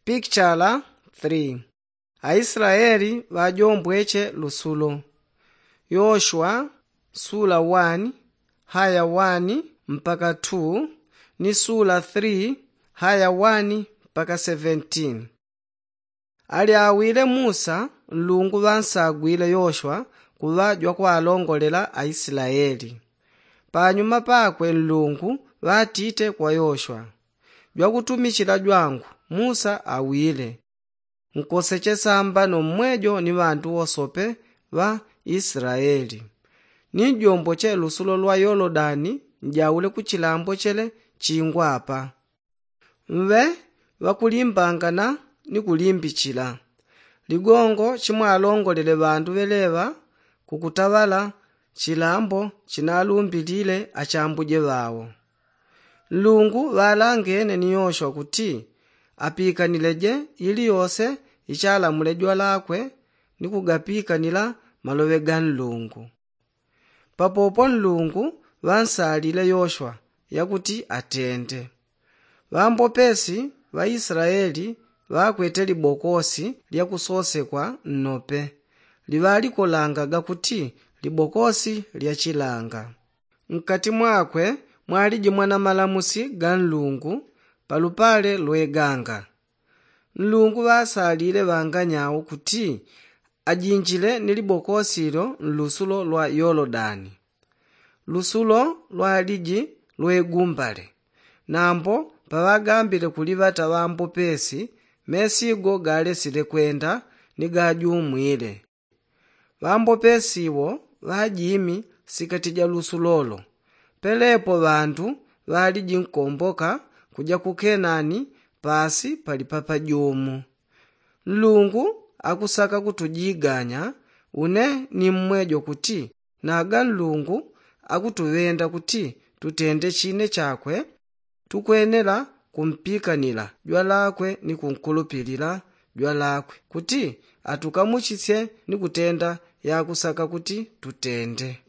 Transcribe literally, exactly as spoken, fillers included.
Pikichala three. Aislaeli ŵajombweche lusulo. Yoshua sula one haya one mpaka two ni sula three haya one mpaka seventeen. Alyawile musa nlungu ŵansagwile yoshua kuŵa jwakwalongolela aislaeli. Panyuma pakwe nlungu ŵatite kwa yoshua, jwakutumichila jwangu musa awile, nkoseche sambano mmwejo ni ŵandu wosope ŵa islaeli. Ni njomboche lusulo lwa yolodani njaule kuchilambo chele chingwa apa. Mŵe ŵakulimbangana ni kulimbichila ligongo chimwalongolele ŵandu ŵeleŵa kukutaŵala chilambo chinalumbilile achambuje ŵao. Nlungu ŵalangene ni yoshua kuti apikanileje iliyose ichalamule jwalakwe ni kugapikanila maloŵe ga nlungu. Papopo nlungu ŵansalile yoshua yakuti atende. Ŵambopesi ŵa islaeli ŵakwete libokosi lya kusosekwa nnope liŵalikolangaga kuti libokosi lya chilanga. Nkati mwakwe mwaliji mwana malamusi ga nlungu palupale lwe ganga. Nlungu ŵasalile ŵanganyau kuti ajinjile ni libokosi lyo nlusulo lwa yolodani. Lusulo lwaliji lwegumbale. Nambo paŵagambile kuliŵata ŵambopesi mesigo galesile kwenda ni gajumwile. Ŵambopesi wo ŵajimi sikati ja lusulolo. Pelepo ŵandu ŵaliji nkomboka kuja ku kenani pasi pali papajumu. Nlungu akusaka kutujiganya. Une ni mmwejo kuti naga nlungu akutuŵenda kuti tutende chine chakwe. Tukwenela kumpikanila jwalakwe ni kunkulupilila jwalakwe kuti atukamuchisye ni kutenda yakusaka kuti tutende.